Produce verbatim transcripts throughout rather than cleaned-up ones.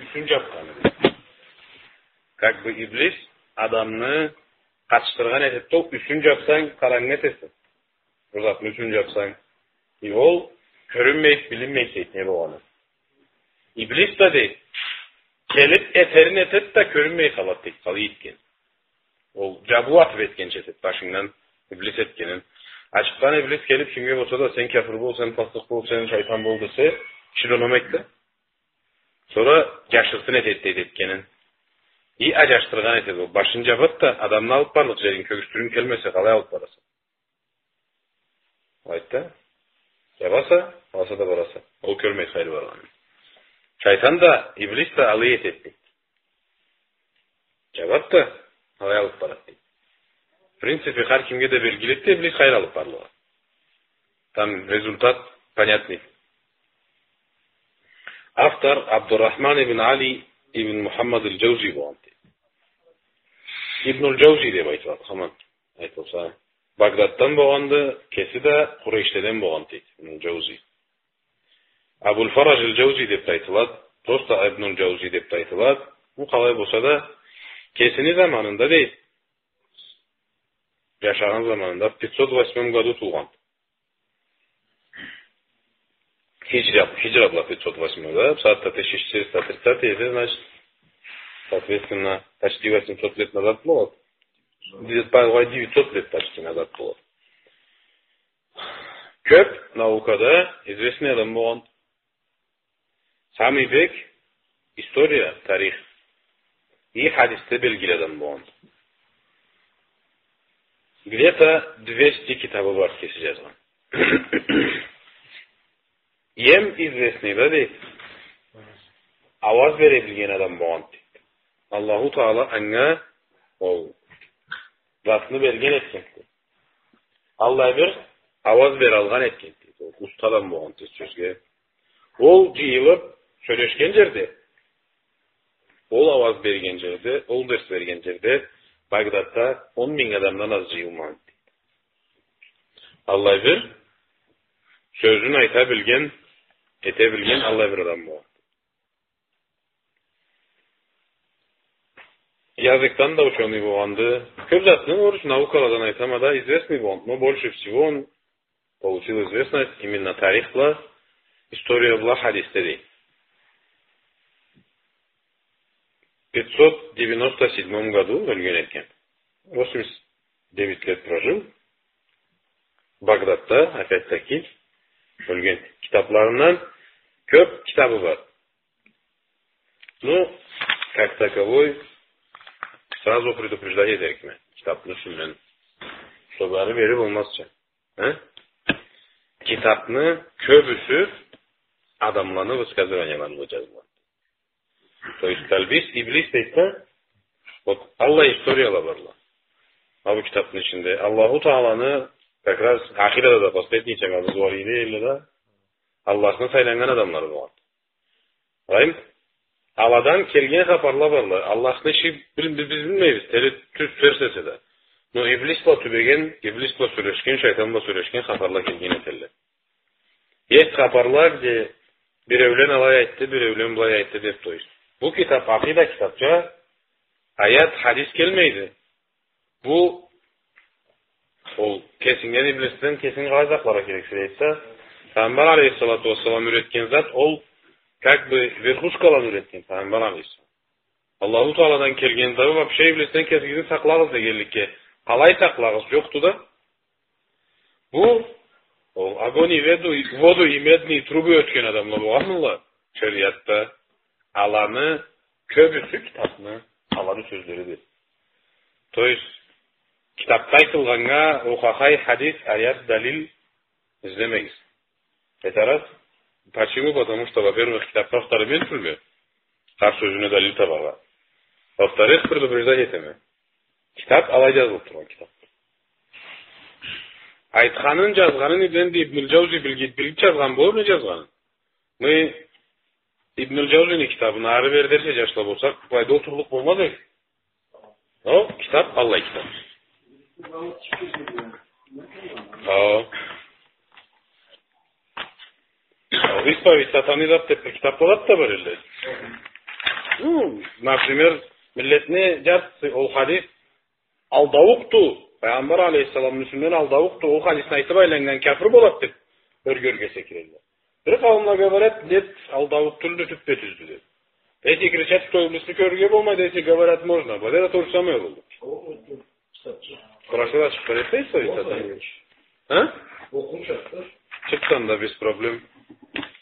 Юсюн джабханы. Как бы иблис адамны къатышдыргъан этеди да, юсюн джабсанг, къарангы этесе. Бир затны юсюн джабсанг. И ол кёрюнмейди, билинмейди, дейди, не болгъаны. Иблис да, дейди, келиб этерин этеди да, кёрюнмей къалады, дейди, къалай этгени. Ол джабыу атыб этгенча этеди, башынгдан иблис этгенин. Ачыкъдан иблис келиб, кимге болса да, сен кяфыр бол, сен пасыкъ бол, сен шайтан бол десе, киши да унамайды да. Сора джашыртын этеди, дейди, этгенин. И аджашдыргъан этеди ол. Башын джабады да, адамны алыб барлыкъ джерин, кёргюзтюрюнг келмесе, къалай алыб бараса? Айтды. Джабаса, аласа да бараса. Ол кёрмейди къайры баргъанын. Шайтан да, иблис да алай этеди, дейди. Джабады да, алай алыб барады, дейди. В принципе, хар кимге да белгилиди да, иблис къайры алыб барлыгъы. Там результат понятный. Автор Абдурахман ибн Али ибн Мухаммад аль-Джаузи болгъанды, дейди. Ибн аль-Джаузи деб айтылады, хаман айтылса. Багдаддан болгъанды, кеси да Къурейшледен болгъанды, дейди, Ибн аль-Джаузи. Абуль-Фараж аль-Джаузи деб да айтылады, просто Ибн аль-Джаузи деб да айтылады. Бу къалай болса да, кесини заманында, дейди, джашагъан заманында, в пятьсот восьмом году туугъан. Хиджра, хиджра бла пятьсот восьмой, да? Бусагъатда тысяча четыреста тридцатый эсе, значит, соответственно, почти восемьсот лет назад болады. Где-то, по-, девятьсот лет почти назад болады. Кёб наукада известный адам болгъан. Самый бек история, тарих и хадисде белгили адам болгъан. Где-то двести китабы бар кеси джазгъан. Эм известный да, дейди, ауаз бере билген адам болгъан, дейди. Аллаху Таала анга ол затны берген этген, дейди. Аллай бир ауаз бералгъан этген, дейди. Ол уста адам болгъан, дейди, сёзге. Ол джыйылыб сёлешген джерде, ол ауаз берген джерде, ол дерс берген джерде Багдадда он минг адамдан аз джыйылмагъан, дейди. Аллай бир сёзюн айта билген, эте билген аллай бир адам болгъан. Языкдан да учёный болгъанды. Кёб затны, короче, наукаладан айтама да, известный болгъан. Но больше всего он получил известность именно тарих бла, история бла, хадисде, дейди. В пятьсот девяносто седьмом году ёлген этген. Восемьдесят девять лет прожил. Багдадда, опять-таки, ёлген. Китабларындан кёб китабы бар. Ну, как таковой, сразу предупреждать этерикме. Китабны юсюнден. Чтобы ары-бери болмазча. А? Китабны кёбюсю адамланы высказыванияларына джазылгъан. То есть Талбис Иблис дейди да, вот аллай историяла барла. А бу китабны ичинде Аллаху Тааланы как раз ахирада да последний чагъыбыз бар эди, элле да Аллахны сайланнган адамлары болгъан. Къарайым, аладан келген хапарла барла. Аллахны иши бил-, биз, биз билмейбиз, тери тюз, терс эсе да. Но Иблис бла тюбеген, Иблис бла сёлешген, шайтан бла сёлешген хапарла келген этелле. Есть хапарла, где биреулен алай айтды, биреулен былай айтды деб, то есть. Бу китаб акъида китабча, аят, хадис келмейди. Бу, ол кесингден, иблисден кесинги къалай сакъларгъа керексе дейди да, Пайгъамбар алейхиссалату уассалам юретген зат, ол как бы верхушкаланы юретген Пайгъамбар алейхиссалам. Аллаху Тааладан келген да, вообще иблисден кесигизни сакълагъыз дегенликге, къалай сакълагъыз, джокъду да. Бу, ол огонь и веду-, воду и медные трубы ётген адамла болгъанмыла шериатда. Аланы кёбюсю китабны, аланы сёзлериди. То есть, китабда айтылгъаннга охахай хадис, аят, далил излемегиз. Это раз. Почему? Потому что, во-первых, китабны автору мен тюлме. Хар сёзюне далил табаргъа. Во-вторых, предупреждать этеме. Китаб алай джазылыб тургъан китаб. Айтханын, джазгъанын энди Ибн аль-Джаузи билги-, билиб джазгъан болур, не джазгъанын. Мы Ибн аль-Джаузини китабын ары-бери дерсе джашла болсакъ, былайда олтурлукъ болмаз эди. Ол китаб аллай китаб. Хо. Ол «Исповедь сатаны» деб бир китаб болады да бар элде. Ну, например, миллетни джартысы ол хадис алдаукъду, Пайгъамбар алейхиссаламны юсюнден алдаукъду, ол хадисни айтып айланнган кяфыр болад деп ёрге-ёрге секирелле. Бир къауумла говорят, нет, алдаукъ тюлдю, тюппе-тюздю деп. Эти кричат, что иблисни кёрюрге болмайды, эти говорят, можно. Бу да то же самое болду. Хорошо, да, чыкъгъан этмейсиз, Саид Сатанович? А? Чыкъгъан да без проблем.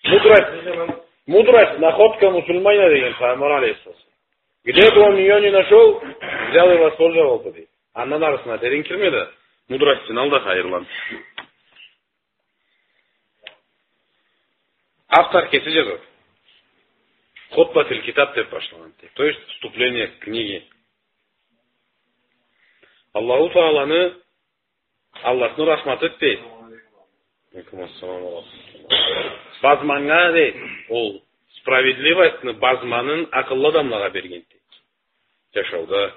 Мудрость, мудрость, находка мусульманина деген Пайгъамбар алейхиссалам. Где бы он её ни нашёл, взял и воспользовался, дейди. Андан арысына терен кирме да, мудростьун ал да хайырлан. Автор кеси джазады. Хутбатуль китаб деп башлагъан, дейди. То есть вступление к книге. Аллаху Тааланы, Аллахны рахматы, дейди. Алейкум ассалам ва рахматуллах. Базманнга, дейди, ол справедливостьны базманын акъыллы адамлагъа берген, дейди. Джашауда.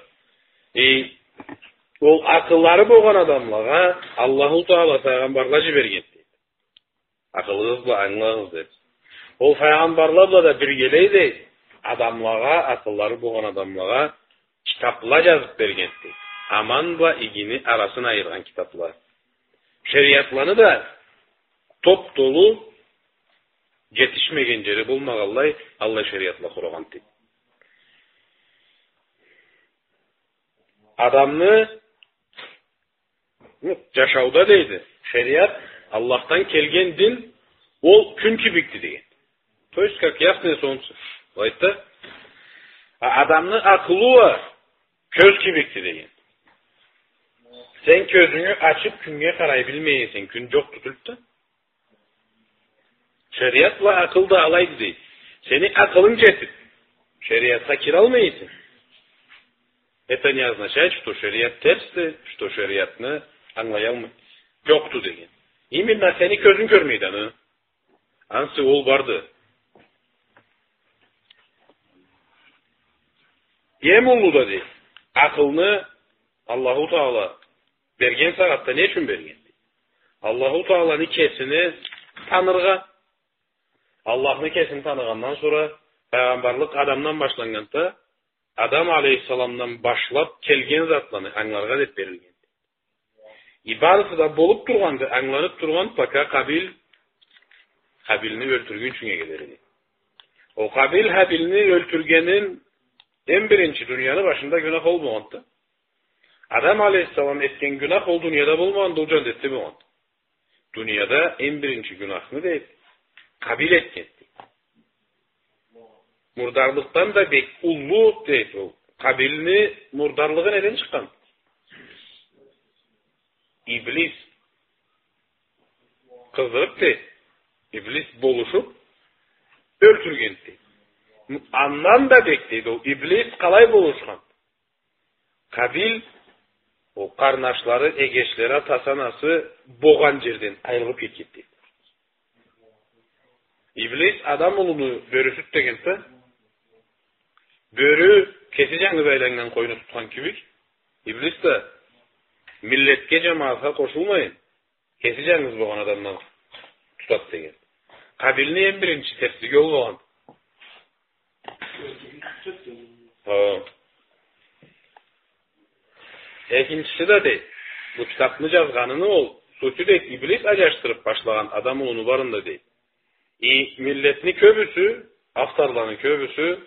Э, ол акъыллары болгъан адамлагъа Аллаху Таала файгъамбарла джиберген, дейди. Акъылыгъыз бла ангылагъыз деп. Ол файгъамбарла бла да биргелей, дейди, адамлагъа, акъыллары болгъан адамлагъа китапла джазып берген, дейди. Аман бла игини арасын айыргъан китапла. Шериатланы да топ-толу, джетишмеген джери болмагъанлай, аллай шериатла къурагъан, дейди. Адамны джашауда, дейди, шериат, Аллахдан келген дин, ол кюн кибикди деген. То есть, как ясное солнце. Былай айтды. А адамны акъылы уа кёз кибикди деген. Сен кёзюнгю ачып, кюннге къарай билмей эсенг, кюн джокъду тюлдю да. Шериат бла акъыл да алайды, дейди. Сени акъылынг джетип, шериатха киралмай эсенг, это не означает, что шериат терсди, что шериатны ангылаялмай, джокъду деген. Именно сени кёзюнг кёрмейди аны. Ансы ол барды. Эм уллу да, дейди, акъылны Аллаху Таала берген сагъатда не ючюн берген? Аллаху Тааланы кесини таныргъа. Аллахны кесин таныгъандан сора, файгъамбарлыкъ Адамдан башланнганда, Адам алейхиссаламдан башлап келген затланы ангыларгъа деп берилген. И барысы да болуп тургъанды, ангыланып тургъан, пока Къабил Хабилни ёлтюргюнчюнге кедери. Ол Къабил Хабилни ёлтюргенин эм биринчи дунияны башында гюнах ол болгъанды. Адам алейхиссалам этген гюнах ол дунияда болмагъанды, ол джаннетде болгъанды. Дунияда эм биринчи гюнахны, дейди, Къабил этгенди. Мурдарлыкъдан да бек уллу, дейди, ол. Къабилни мурдарлыгъы неден чыкъгъан? Иблис. Къыздырып, дейди, иблис болушуп, ёлтюргенди. Андан да бек, дейди, ол иблис къалай болушхан? Къабил, ол къарнашлары, эгечлери, атасы, анасы болгъан джерден айырылып кетгенди. Иблис адам улуну бёрюсюдю дегенди да, бёрю кеси джангыз айланнган къойну тутхан кибик, иблис да миллетге, джамагъатха къошулмайын, кеси джангыз болгъан адамдан тутады деген. Къабилни эм биринчи терслиги ол болгъан. Хо. Экинчиси да, дей, бу китапны джазгъаныны ол сутю, дей, иблис аджашдырып башлагъан адам улуну барын да, дей. И миллетни кёбюсю, авторланы кёбюсю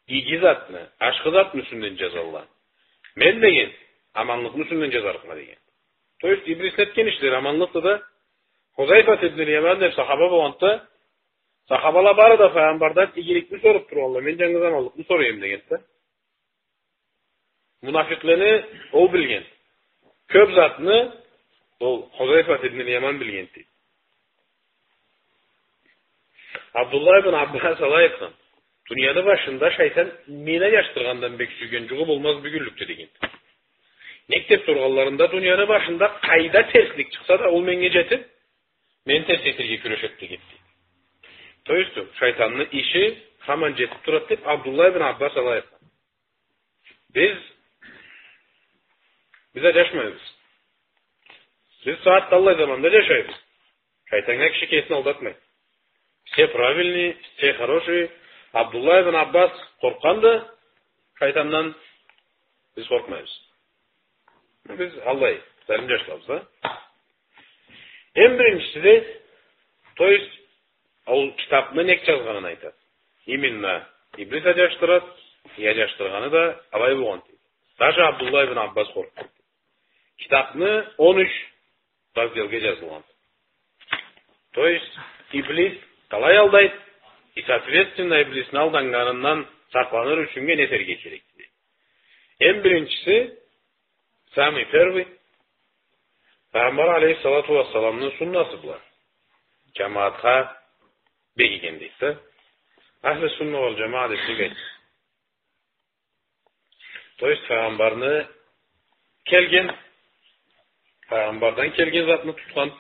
иги затны, ашхы затны юсюнден джазалла. Мен, деген, аманлыкъны юсюнден джазарыкъма, деген. То есть иблисни этген ишлери аманлыкъды да, Хузайфат ибн Яман деп сахаба болгъанды, сахабала бары да файгъамбардан игиликни соруп тургъанла, мен джангыз аманлыкъны сорайым, дегенди. Мунафикълени ол билген. Кёп затны ол Хузайфат ибн Яман билгенди. Абдуллах ибн Аббас алай айтхан: дунияны башында шайтан мени аджашдыргъандан бек сюйген джугъу болмаз бюгюнлюкде, дегенди. Нек деп соргъанларында, дунияны башында къайда терслик чыкъса да, ол меннге джетип, мени терс этерге кюрешеди, дегенди. То есть, шайтанны иши хаман джетип турады деп Абдуллах ибн Аббас алай айтхан. Биз, биз аджашмайбыз. Биз сагъатда аллай заманда джашайбыз. Шайтаннга киши кесин алдатмайды. Все правильные, все хорошие, Абдуллах ибн Аббас къоркъгъанды шайтандан, биз къоркъмайбыз. Биз аллай, залим джашлабыз да. Эм биринчиси да, то есть, ол китапны нек джазгъанын айтады. Именно иблис аджашдырады, и аджашдыргъаны да алай болгъан дейди. Даже Абдуллах ибн Аббас къоркъгъан. Китапны он юч разделге джазылгъан. То есть, иблис къалай алдайды, и, соответственно, иблисни алданнганындан сакъланыр ючюннге не этерге керекди? Эм биринчиси, самый первый, Пайгъамбар алейхиссалату уассаламны суннасы бла джамагъатха бегиген дейди да. Ахлю сунна валь джамаа деб нек айтады? То есть, Пайгъамбарны келген, Пайгъамбардан келген затны тутхан,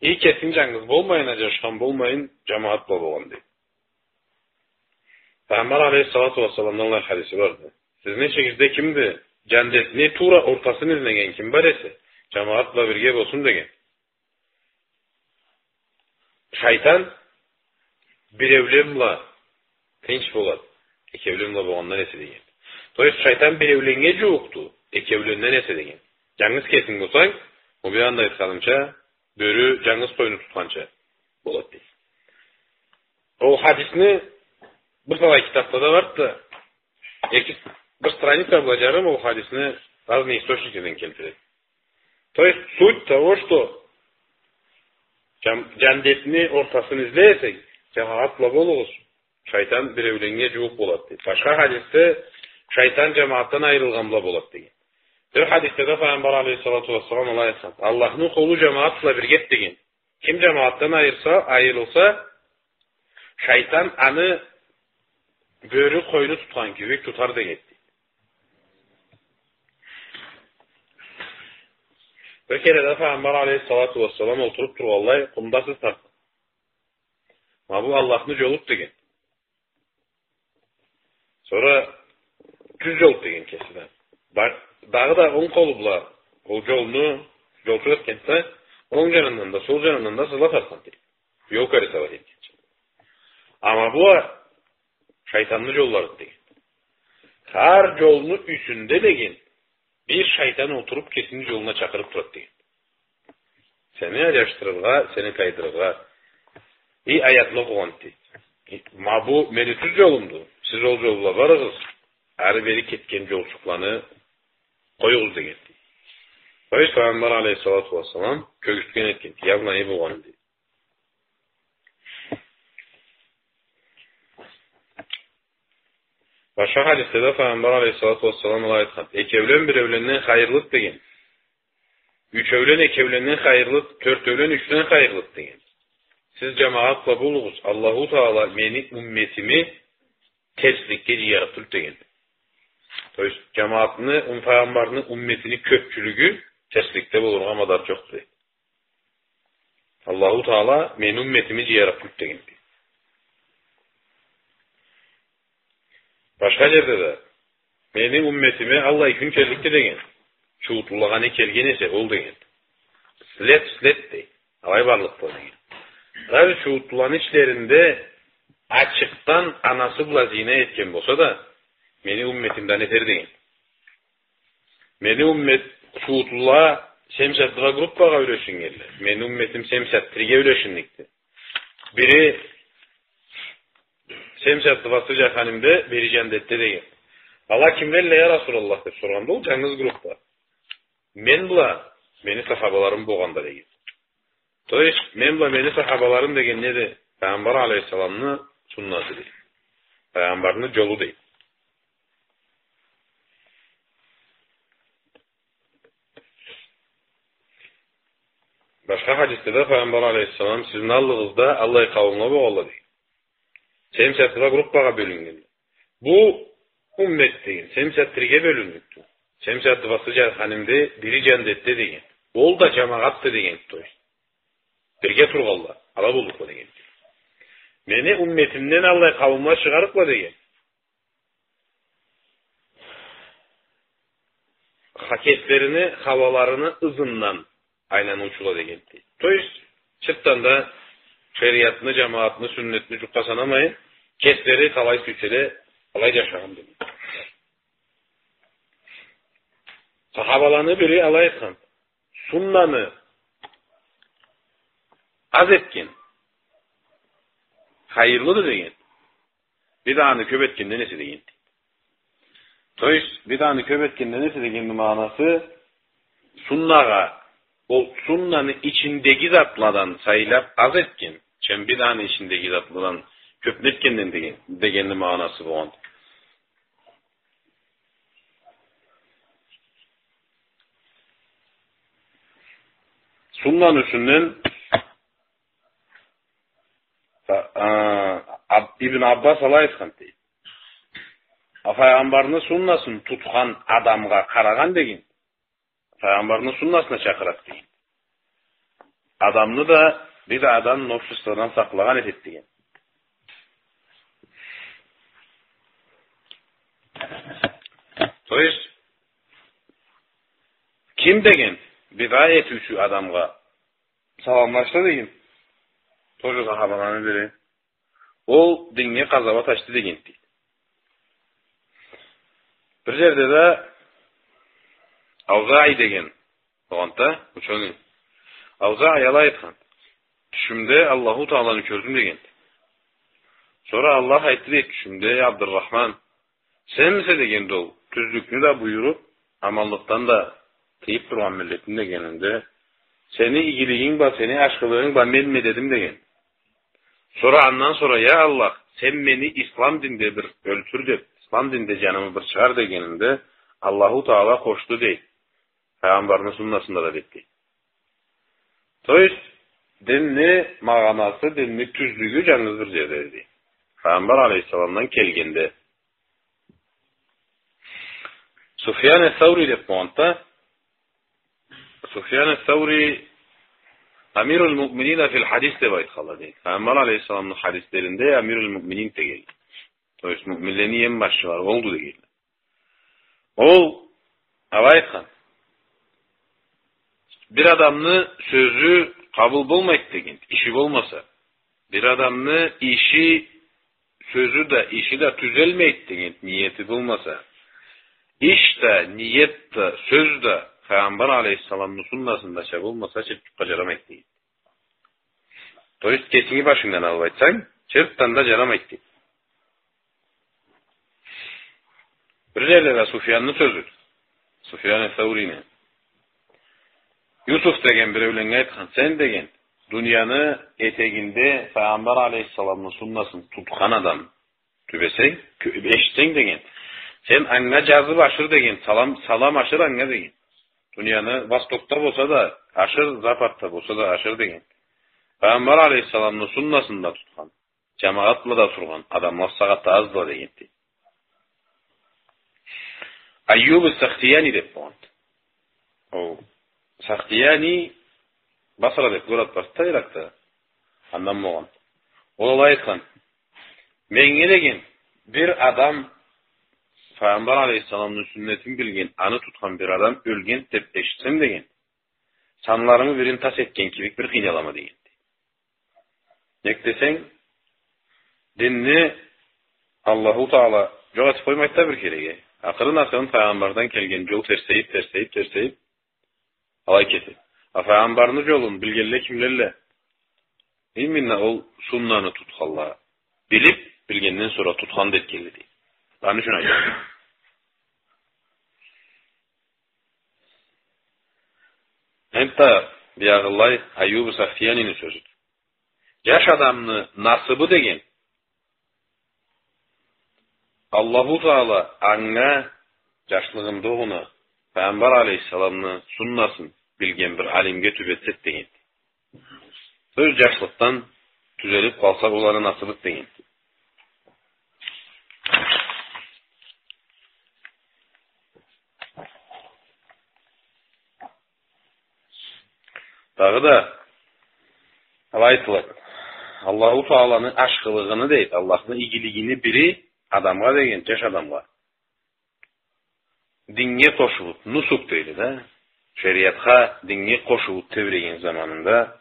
и кесинг джангыз болмайын, аджашхан болмайын, джамагъат бла болгъан дейди. Пайгъамбар алейхиссалату уассаламны аллай хадиси барды. Сизни ичигизде кимди? Джандетни туура ортасын излеген ким бар эсе, джамагъат бла бирге болсун деген. Шайтан биреулен бла тынч болады, экеулен бла болгъандан эсе деген. То есть, шайтан биреуленнге джууукъду, экеуленнген эсе деген. Джангыз кесинг болсанг, ол бир анда айтханымча, бёрю джангыз къойну тутханча болады дейди. Ол хадисни бир талай китапда да барды да, эки, бир страница бла джарым ол хадисни разные источникледен келтиреди. То есть суть того, что джан-, джандетни ортасын излей эсенг, джамагъат бла болугъуз, шайтан биреуленнге джууукъ болады дейди. Башха хадисде шайтан джамагъатдан айырылгъан бла болады деген. Бир хадисде да Пайгъамбар алейхиссалату уассалам алай айтхан: Аллахны къулу джамагъат бла биргеди деген. Ким джамагъатдан айырса, айырылса, шайтан аны бёрю къойну тутхан кибик тутар деген. Бир кере да Пайгъамбар алейхиссалату уассалам олтуруб тургъанлай къумда сыз тартхан. Ма бу Аллахны джолуду деген. Сора тюз джолду деген кеси да. Бар, дагъыда онг къолу бла ол джолну джолчукъ этгенди да, онг джанындан да, сол джанындан да сызла тартхан дейди. Ёлка рисовать этгенча. Амма бу а шайтанны джолларыды деген. Хар джолну юсюнде деген бир шайтан олтуруб, кесини джолуна чакъырыб турады деген. Сени аджашдырыргъа, сени тайдырыргъа. И аятны окъугъан дейди. Ма бу мени тюз джолумду. Сиз ол джол бла барыгъыз. Ары-бери кетген джолчукъланы къоюгъуз деген дейди. Пайгъамбар алейхиссалату уассалам кёргюзтген этген, явно не болгъанын дейди. Башха хадисде да Пайгъамбар алейхиссалату уассалам алай айтхан: экеулен биреуленнген хайырлыды деген. Ючеулен экеуленнген хайырлыды, тёртеулен ючден хайырлыды деген. Сиз джамагъат бла болугъуз, Аллаху Тагъала мени умметими терсликге джыярыкъ тюлдю деген. То есть, джамагъатны, ум-, Пайгъамбарны умметини кёбчюлюгю терсликде болургъа мадар джокъду деген. Аллаху Тагъала мени умметими джыярыкъ тюлдю деген. Башха джерде да: мени умметиме аллай кюн келликди деген. Чууутлулагъа не келген эсе, ол деген. След в след дей. Алай барлыкъды деген. Даже чууутлуланы ичлеринде ачыкъдан анасы бла зина этген болса да, мени умметимден этер деген. Мени уммет, чууутлула семьдесят два группагъа юлешиннгенле. Мени умметим семьдесят триге юлешиннгенди. Бири семьдесят двасы джаханимде, бири джандетде деген. Ала кимлелле, я Расулаллах, деб соргъанда, ол джангыз группа. Мен бла мени сахабаларым болгъанда деген. То есть, мен бла мени сахабаларым деген неди? Пайгъамбар алейхиссаламны суннаты дейди. Пайгъамбарны джолу дейди. Башха хадисде да Пайгъамбар алейхиссалам: сизни аллыгъызда аллай къауумла болгъанла дейди. Семьдесят два группагъа бёлюннгенди. Бу уммет деген семьдесят триге бёлюннгенди. Семьдесят двасы джаханимде, бири джандетде деген. Ол да джамагъатды деген, то есть. Бирге тургъанла, ала боллукъла деген. Мени умметимден аллай къауумла чыгъарыкъла деген. Ха-, кеслерини хауаларыны ызындан айланыучула дегенди. То есть, чыртдан да шериатны, джамагъатны, сюннетни джукъгъа санамайын, кеслери къалай сюйселе, алай джашагъан деген. Сахабаланы бири алай айтхан: суннаны аз этген хайырлыды деген, биданы кёп этгенден эсе деген. То есть, биданы кёп этгенден эсе дегенни магъанасы, суннагъа, ол суннаны ичиндеги затладан сайлап аз этген, чем биданы ичиндеги затладан кёпню этгенден деген, дегенни магъанасы болгъан. Суннаны юсюнден, а, Аб-, Ибн Аббас алай айтхан, дейди. А, Файгъамбарны суннасын тутхан адамгъа къарагъан деген, Файгъамбарны суннасына чакъырады деген, адамны да бидадан, новшестводан сакълагъан этеди деген. То есть, ким деген бида этиучю адамгъа саламлашса деген, тоже сахабаланы бири, ол динге къазауат ачды деген, дейди. Бир джерде да Аузаи деген болгъанды, учёный. Аузаи алай айтхан: тюшюмде Аллаху Тааланы кёрдюм деген. Сора Аллах айтды дейди тюшюмде: «Эй Абдуррахман, сенмисе, дегенди ол, тюзлюкню да буюруп, аманлыкъдан да тыйып тургъан миллетим?» дегенинде, «Сени игилигинг бла, сени ашхылыгъынг бла менме дедим», деген. Сора андан сора: «Я Аллах, сен мени ислам динде бир ёлтюр», деп, «ислам динде джанымы бир чыгъар», дегенинде, Аллаху Таала къошду, дейди, Файгъамбарны суннасында да, дейди. То есть, динни магъанасы, динни тюзлюгю джангыз бир джерде, дейди. Файгъамбар алейхиссаламдан келгенде. Суфьян ас-Саури деп болгъанды. Суфьян ас-Саури Амируль Муъминина филь хадис деп айтханла, дейди. Файгъамбар алейхиссаламны хадислеринде Амируль Муъминин дегенле. То есть, муъминлени эм башчылары олду дегенле. Ол алай айтхан: бир адамны сёзю къабыл болмайды деген, иши болмаса. Бир адамны иши, сёзю да, иши да тюзелмейди деген, ниети болмаса. Иш да, ниет да, сёз да Файгъамбар алейхиссаламны суннасындача болмаса, чыртчыкъгъа джарамайды деген. То есть, кесинги башынгдан алып айтсанг, чыртдан да джарамайды дейди. Бир джерде да Суфьянны сёзю, Суфьян ас-Саурини. Юсуф деген биреуленнге айтхан: «Сен, — деген, — дунияны этегинде Файгъамбар алейхиссаламны суннасын тутхан адам тюбесенг, кё-, эшитсенг, — деген, — сен анга джазып ашыр, — деген, — салам, салам ашыр анга, — деген. — Дунияны востокда болса да ашыр, западда болса да ашыр, — деген. — Файгъамбар алейхиссаламны суннасында тутхан, джамагъат бла да тургъан адамла сагъатда аздыла», — дегенди. Айюб ас-Сахтияни деп болгъанды. Ол Сахтияни, Басра деп город барды Иракда. Андан болгъан. Ол алай айтхан: «Меннге, — деген, — бир адам, Файгъамбар алейхиссаламны сюннетин билген, аны тутхан бир адам ёлген деп эшитсем, — деген, — санларымы бирин тас этген кибик бир къыйналама», — дегенди. Нек десенг, динни Аллаху Таала джокъ этип къоймайды да бир кереге. Акъырын-акъырын Файгъамбардан келген джол терсейип, терсейип, терсейип, алай кетеди. А Файгъамбарны джолун билгенле кимлелле? Именно ол суннаны тутханла. Билип, билгенден сора тутхан да этгенле, дейди. Аны ючюн айтама. Энтда биягъылай Айюб ас-Сахтиянини сёзюдю. Джаш адамны насыбы деген, Аллаху Таала анга джашлыгъында огъуна Пайгъамбар алейхиссаламны суннасын билген бир алимге тюбетсе дегенди. Сёз джашлыкъдан тюзелип къалса, ол аны насыбыды дегенди. Дагъыда алай айтылады. Аллаху Тааланы ашхылыгъыны, дейди, Аллахны игилигини бири адамгъа деген, джаш адамгъа динге къошулуп, нусук дейди да, шериатха, динге къошулуп тебреген заманында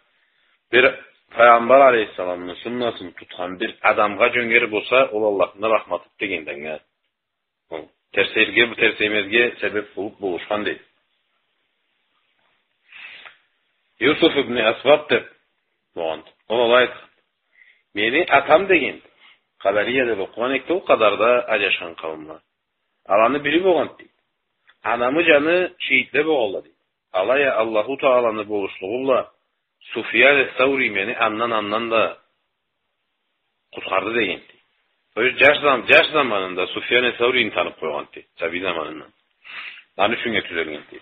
бир Файгъамбар алейхиссаламны суннасын тутхан бир адамгъа джёнгер болса, ол Аллахны рахматы дегенди анга. Ол терсейирге, бу терсеймезге себеп болуб болушхан дейди. Юсуф ибн Асбат деб болгъан. Ол алай айтхан. Мени атам деген, Къадария деб окъугъан эдик да, ол къадарда аджашхан къауумла. Аланы бири болгъан дейди. Анамы джаны шейитле болгъанла дейди. Алай а Аллаху Тааланы болушлугъу бла Суфьян ас-Саури мени андан, андан да къутхарды дегенди. То есть джаш зам-, джаш заманында Суфьян ас-Саурини таныб къойгъанды, сабий заманындан. Аны ючюн тюзелгенди.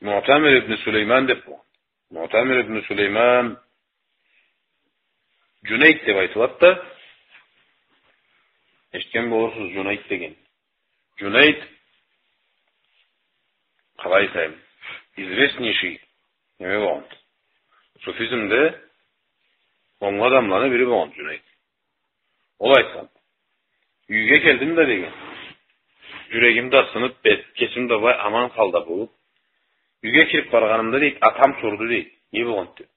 Муътамир ибн Сулейман деб болгъан. Муътамир ибн Сулейман Джунейд деб айтылады да, эшитген болурсуз Джунейд деген. Джунейд, къалай айтайым, известнейший неме болгъан. Суфизмде онглу адамланы бири болгъан Джунейд. Ол айтхан. Юйге келдим да деген. Джюрегим да сыныб, бет, кесим да былай аман халда болуб. Юйге кириб баргъанымда дейди, атам сорду дейди. Не болгъанды деб.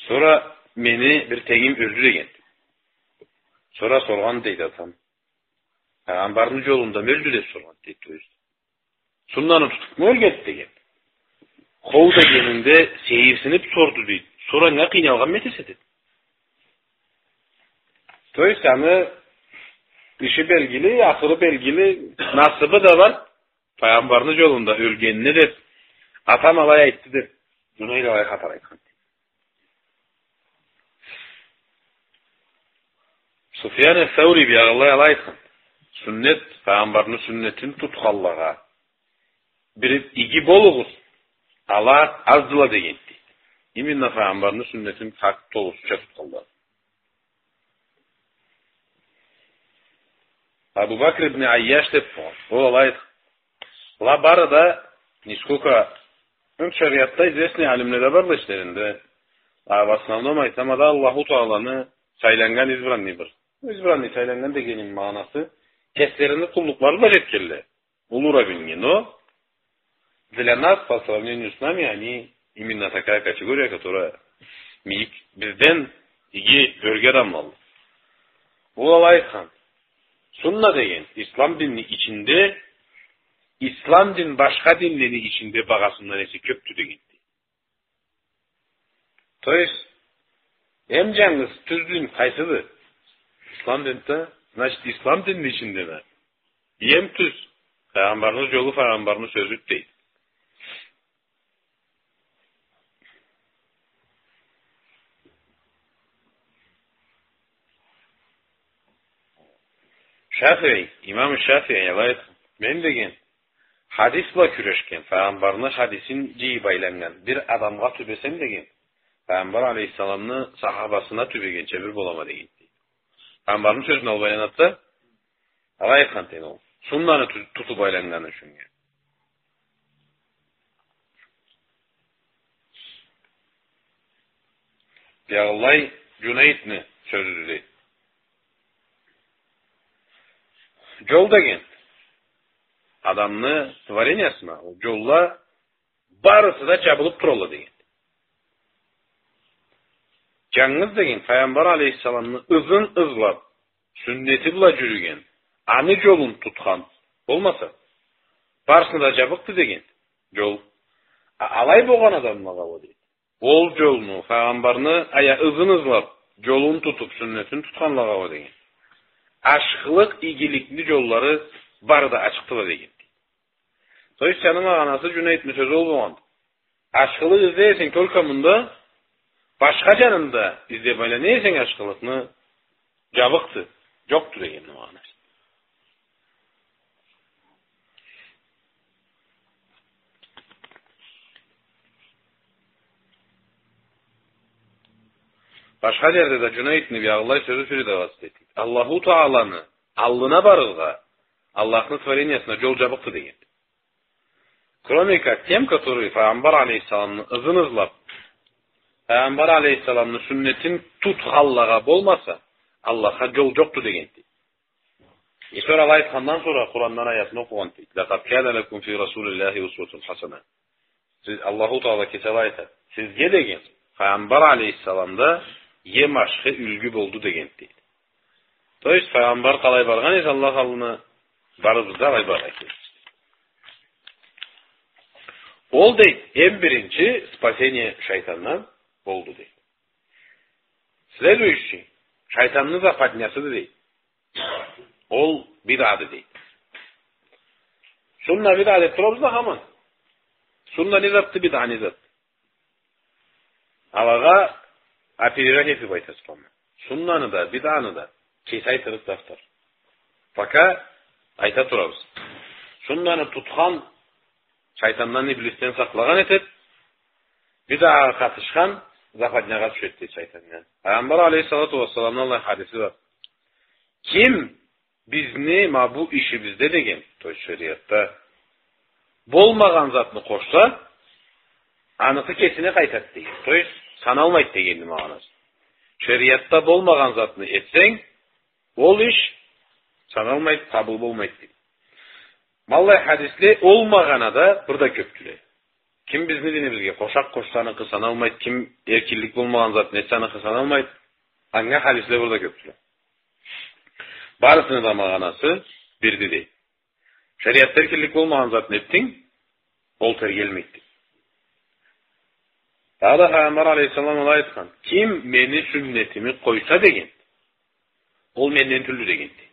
Сора мени бир тенгим ёлдю деген. Сора соргъан дейди атам. Файгъамбарны джолунда ёлдю деб соргъан дейди, то есть. Суннаны тутубму ёлгенди деген. Хоу дегенинде сейирсиниб сорду дейди. Сора анга къыйналгъанмы этесе деб. То есть аны иши белгили, ахыры белгили, насыбы да бар. Файгъамбарны джолунда ёлгенине деб, атам алай айтды деб, Джунейд алай хатар айтхан. Суфьян ас-Саури биягъылай алай айтхан. Суннет, Файгъамбарны суннетин тутханлагъа бир иги болугъуз, ала аздыла дегенди. Именно Файгъамбарны суннетин хакъ толусуча тутханлагъа. Абу Бакр ибн Айяш деб болгъан. Ол алай айтхан. Ала бары да, нисколько, ну, шариатда известный алимле да барла ичлеринде. А в основном айтама да Аллаху Тааланы сайланнган избранный бир. Избранный, сайланнган дегеними магъанасы, кеслерини къуллукълары бла джетгенле. Уллу уровеньге, но для нас, по сравнению с нами, они именно такая категория, которая мийик, бизден иги, ёрге адамла. Ол алай айтхан. Сунна деген ислам динни ичинде, ислам дин башха динлени ичинде багъасындан эсе кёбдю дегенди. То есть, эм джангыз тюз дин къайсыды? Ислам динде, значит, ислам динни ичинде да эм тюз Файгъамбарны джолу, Файгъамбарны сёзю дейди. Шафии, имам Шафии алай айтхан. Мен деген, хадис бла кюрешген, Файгъамбарны хадисин джыйыб айланнган бир адамгъа тюбесем деген, Файгъамбар алейхиссаламны сахабасына тюбегенча бир болама дегенди. Файгъамбарны сёзюн алыб айланады да, алай айтхан дейди ол. Суннаны ту-, тутуб айланнганы ючюн. Биягъылай Джунейдни сёзюдю дейди. Джол деген адамны творениясына, ол джолла барысы да джабылыб туралла деген. Джангыз деген Файгъамбар алейхиссаламны ызын ызлаб, сюннети бла джюрюген, аны джолун тутхан болмаса, барысына да джабыкъды деген джол. А алай болгъан адамлагъа уа дейди. Ол джолну, Файгъамбарны ая ызын ызлаб, джолун тутуб, сюннетин тутханлагъа уа деген. Ашхылыкъ, игиликни джоллары бары да ачыкъдыла деген. То есть, аны магъанасы Джунейдни сёзю ол болгъан. Ашхылыкъ излей эсенг только мында, башха джанында излеб айлана эсенг ашхылыкъны, джабыкъды, джокъду дегенни магъанасы. Башха джерде да Джунейдни биягъылай сёзю сюрюде аласыз дейди. Аллаху Тааланы аллына барыргъа, Аллахны творениясына джол джабыкъды деген. Кроме как тем, которые Файгъамбар алейхиссаламны ызын ызлаб, Файгъамбар алейхиссаламны сюннетин тутханлагъа болмаса, Аллахха джол джокъду дегенди. И сора алай айтхандан сора Къурандан аятны окъугъанды. «لقد كان لكم في رسول الله أسوة حسنة». Сиз, Аллаху Таала кеси алай айтады. Сизге деген, Файгъамбар алейхиссаламда эм ашхы юлгю болду дегенди, дейди. То есть, Файгъамбар къалай баргъан эсе Аллах аллына, барыбыз да алай баргъа керекбиз. Ол, дейди, эм биринчи спасение шайтандан болду, дейди. Следующий, шайтанны западнясыды, дейди. Ол бидъады, дейди. Сунна бидъа деп турабыз да хаман. Сунна не затды, бидъа не затды? Алагъа опережать этип айтасыз хаман. Суннаны да, бидъаны да кеси айтырыкъды автор. Пока айта турабыз. Суннаны тутхан шайтандан, иблисден сакълагъан этеди, бидъагъа къатышхан западнягъа тюшеди, дейди, шайтаннга. Файгъамбар алейхиссалату уассаламны аллай хадиси бар. Ким бизни ма бу ишибизде деген, то есть шериатда, болмагъан затны къошса, аныкъы кесине къайтады деген. То есть саналмайды дегенни магъанасы. Шериатда болмагъан затны этсенг, ол иш саналмайды, къабыл болмайды, дейди. Ма аллай хадисле ол магъанада бир да кёпдюле. Ким бизни динибизге къошакъ къошса, аныкъы саналмайды, ким эркинлик болмагъан затны этсе, аныкъы саналмайды. Анга хадисле бир да кёпдюле. Барысыны да магъанасы бирди, дейди. Шериатда эркинлик болмагъан затны этдинг, ол тергелмейди. Дагъыда Файгъамбар алейхиссалам алай айтхан: «Ким мени сюннетими къойса, — деген, — ол менден тюлдю», — дегенди.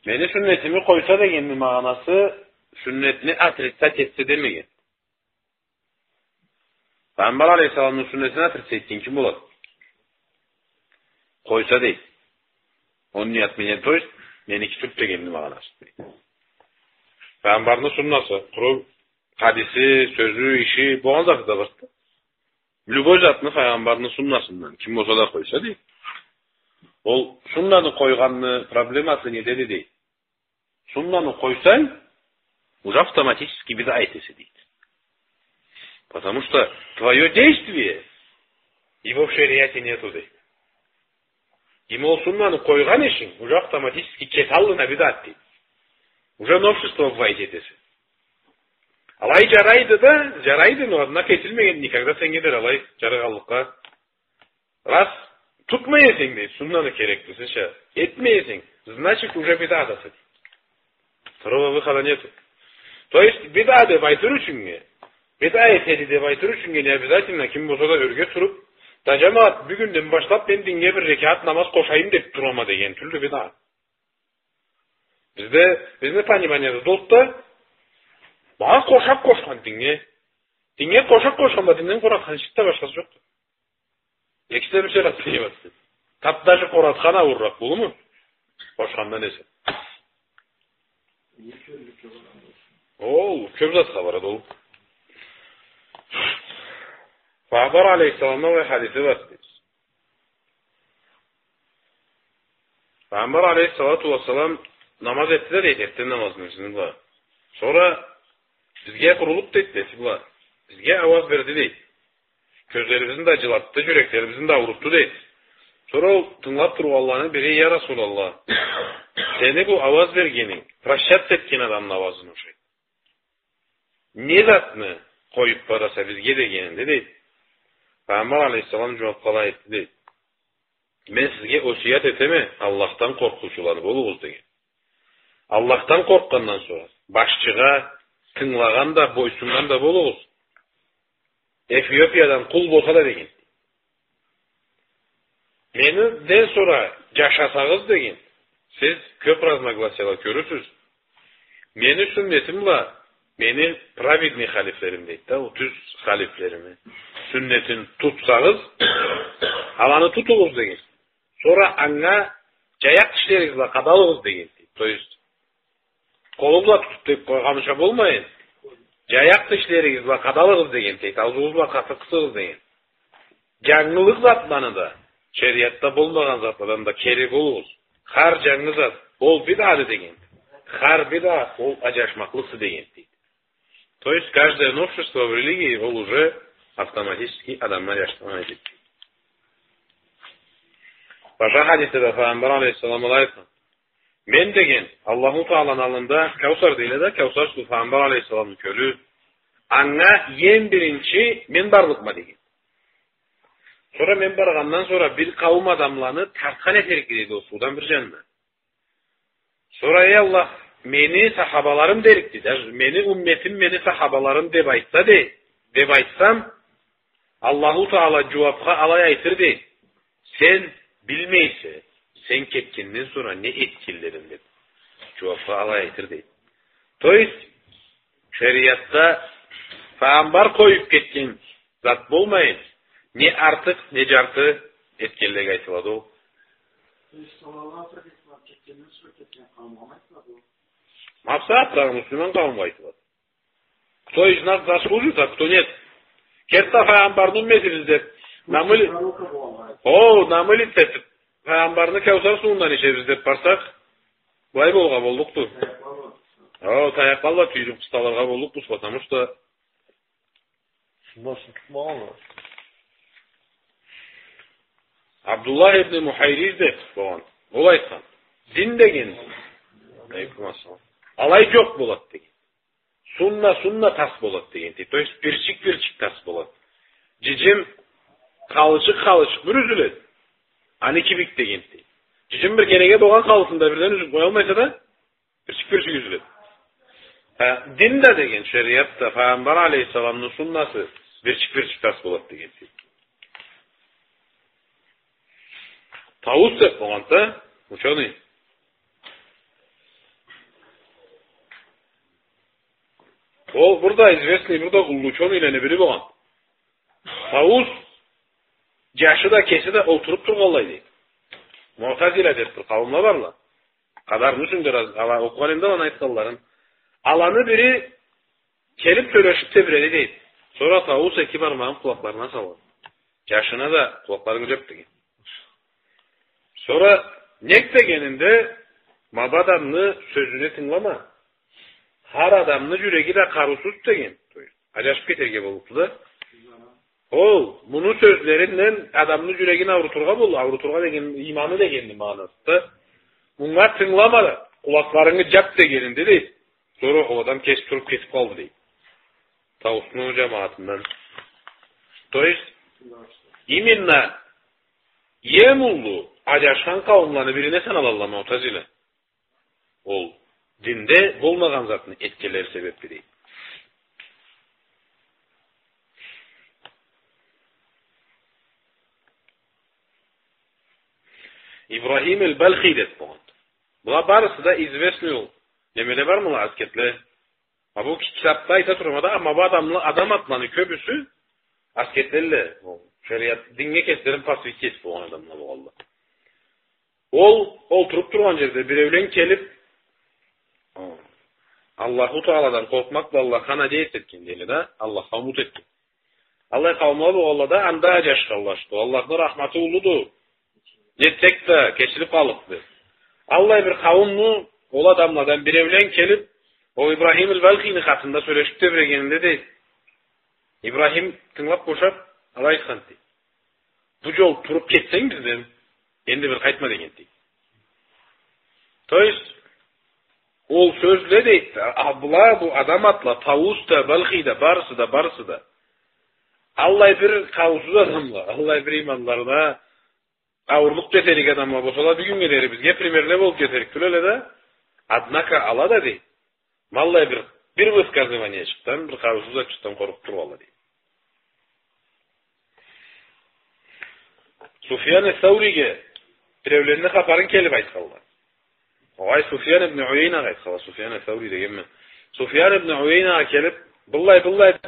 Мени сюннетими къойса дегенни магъанасы, сюннетни отрицать этсе демеген. Файгъамбар алейхиссаламны сюннетин отрицать этген ким болады? Къойса, дейди. Он не от меня, то есть, меники тюлдю дегенни магъанасы, дейди. Файгъамбарны суннасы, къуру хадиси, сёзю, иши, болгъан заты да барды. Любой затны Файгъамбарны суннасындан ким болса да къойса, дейди. Ол суннаны къойгъанны проблемасы недеди, дейди. Суннаны къойсанг, уже автоматически бидъа этесе, дейди. Потому что твоё действие, его в шериате нету, дейди. Демек, ол суннаны къойгъан ишинг уже автоматически кеси аллына бидъат, дейди. Уже новшество вводить этесе. Алай жарайды да, жарайды, но, однако, этилмеген никогда сеннге дери алай жарагъанлыкъгъа. Раз тутмай эсенг, дейди, суннаны кереклисича этмей эсенг, значит, уже бидъадаса, дейди. Второго выхода нету. То есть, бидъа деп айтыр ючюннге, бидъа этеди деп айтыр ючюннге не обязательно ким болса да ёрге туруп, да, жамагъат, бюгюнден башлап мен динге бир рекат намаз къошайым деп турама деген тюлдю бидъа. Бизде, бизни пониманиебизде да, манга къошакъ къошхан динге. Динге къошакъ къошхан бла динден къоратхан эшикде башхасы жокъду. Экиси да бир шей къатты. Тап даже къоратхан аууурракъ болурму? Къошхандан эсе. Ол кёп затха барады ол. Файгъамбар алейхиссаламны аллай хадиси бар, дейди. Файгъамбар алейхиссалату уассалам намаз этди да, дейди, эртден намазны, бизни бла. Сора бизге бурулуп, дейди, неси бла, бизге ауаз берди, дейди. Кёзлерибизни да жылатды, жюреклерибизни да аурутду, дейди. Сора ол тынгылап тургъанланы бири: «Я Расулаллах, сени бу ауаз бергенинг прощаться этген адамны ауазына ушайды. Не затны къоюп бараса бизге?» — дегенинде, дейди, Файгъамбар алейхиссалам жууапха алай айтды, дейди: «Мен сизге осият этеме, Аллахдан къоркъуучуланы болугъуз», — деген. Аллахдан къоркъгъандан сора, башчыгъа тынгылагъан да, бойсуннган да болугъуз. Эфиопиядан къул болса да, деген. Менден сора жашасагъыз, деген, сиз кёп разногласияла кёрюрсюз. Мени сюннетим бла мени праведный халифлерим, дейди да, ол тюз халифлерими сюннетин тутсагъыз, аланы тутугъуз, деген. Сора анга жаякъ тишлеригиз бла къадалыгъыз, деген, дейди. То есть, къолу бла тутуп деп къойгъанча болмайын. Жаякъ тишлеригиз бла къадалыгъыз, деген, дейди. Аузугъуз бла къаты къысыгъыз, деген. Жангылыкъ затланы да, шериатда болмагъан затладан да кери болугъуз. Хар жангы зат, ол бидъады, деген. Хар бидъа, ол аджашмакълыкъды, деген, дейди. То есть каждое новшество в религии, ол уже автоматически адамны аджашдыргъан этеди. Башха хадисде да Файгъамбар алейхиссалам былай айтхан: «Мен, — деген, — Аллаху Тааланы аллында Каусар дейле да, Каусар суу, Файгъамбар алейхиссаламны кёлю, Анга эм биринчи мен барлыкъма деген. Сора мен баргъандан сора бир къауум адамланы тартхан этерик, дейди, ол суудан бир жанына. Сора, эй Аллах, мени сахабаларым дерик, дейди. Даже мени умметим, мени сахабаларым деп айтса, дей, деп айтсам, Аллаху Таала жууапха алай айтыр, дей: «Сен билмейсе, сен кетгенден сора не этгенлерин», — деп. Жууапха алай айтыр, дей. То есть, шериатда файгъамбар къоюп кетген зат болмайын, не артыкъ, не жарты этгенлеге айтылады ол. То есть, саллаллаху алейхи ва саллам кетгенден сора кетген къауумгъа айтылады ол. Мапса, атырагъы муслиман къауумгъа айтылады. Кто из нас заслужит, а кто нет. Керти да файгъамбарны умметибиз деп, намыли-, о, намылит этип, файгъамбарны Каусар сууундан ичебиз деп барсакъ, былай болгъа боллукъду. О, таякъла бла тюйюп къысталыргъа боллукъбуз, потому что суннасын тутмагъанла. Абдуллах ибн Мухайриз деп болгъан. Ол айтхан: «Дин деген, алейкум ассалам, алай жокъ болады», — деген. «Сунна, сунна тас болады», — деген, дейди. То есть бирчик-бирчик тас болады. Жыжым къалычыкъ-къалычыкъ бир юзюледи. Аны кибик, деген, дейди. Жыжым бир кереге болгъан халысында бирден юзюп къоялмайса да, бирчик-бирчик юзюледи. Ха, дин да деген, шериат да, файгъамбар алейхиссаламны суннасы бирчик-бирчик тас болады, деген, дейди. Таус деп болгъан да, учёный. Ол бир да известный, бир да уллу учёныйлени бири болгъан. Таус жашы да, кеси да олтуруп тургъанлай, дейди. Муътазила деп бир къауумла барла. Къадарны юсюнде раз-, ала окъугъан эдим да аланы айтханларын. Аланы бири келип сёлешип тебиреди, дейди. Сора Таус эки бармагъын къулакъларына салгъан. Жашына да къулакъларынг жап, деген. Сора нек дегенинде, ма бу адамны сёзюне тынгылама. Хар адамны жюреги да къарыусуз, деген. То есть, ажашып кетерге боллукъду да. Ол, муну сёзлеринден адамны жюрегин аурутургъа болду. Аурутургъа деген, иманы дегенни магъанасы да. Мунга тынгылама да, къулакъларынгы жап дегенинде, дейди. Сора ол адам кеси туруп кетип къалды, дейди. Таусну жамагъатындан. То есть, именно эм уллу ажашхан къауумланы бирине саналалла Муътазила. Ол динде болмагъан затны этгенлери себепли, дейди. Ибрахим эль-Балхи деп болгъан. Была барысы да известный ол. Немеле бармыла, аскетле? А бу ки-, китапда айта турама да, амма бу адамла, адам атланы кёбюсю аскетлелле. Ол шериат, динге кеслерин посвятить этип болгъан адамла болгъанла. Ол олтуруп тургъан жерде биреулен келип, Аллаху Тааладан къоркъмакъ бла Аллахха надеяться этген, дейди да, Аллахха умут этген. Аллай къауумла болгъанла да анда ажашханла, что Аллахны рахматы уллуду, нетсек да кечилип къаллыкъды. Аллай бир къауумну ол адамладан биреулен келип, ол Ибрахим эль-Балхини хакъында сёлешип тебирегенинде, дейди, Ибрахим тынгылап бошап, алай айтхан, дейди: «Бу жол туруп кетсенг бизден, энди бир къайтма», — деген, дейди. То есть, ол сёзле, дейди, а, была, бу адам атла, Таус да, Балхи да, барысы да, барысы да. Аллай бир къауумсуз адамла, аллай бир иманларына аурлукъ жетерик адамла болсала, бюгюннге дери бизге примерле болуп жетерик тюл эле да. Однако ала да, дейди, ма аллай бир, бир высказываниечикден, бир къарыусуз затчыкъдан къоркъуп тургъанла, дейди. Суфьян ас-Сауриге биреуленни хапарын келип айтханла. Огъай, Суфьян ибн Уяйнагъа айтханла, Суфьян ас-Саури дегенме. Суфьян ибн Уяйнагъа келип, быллай, быллай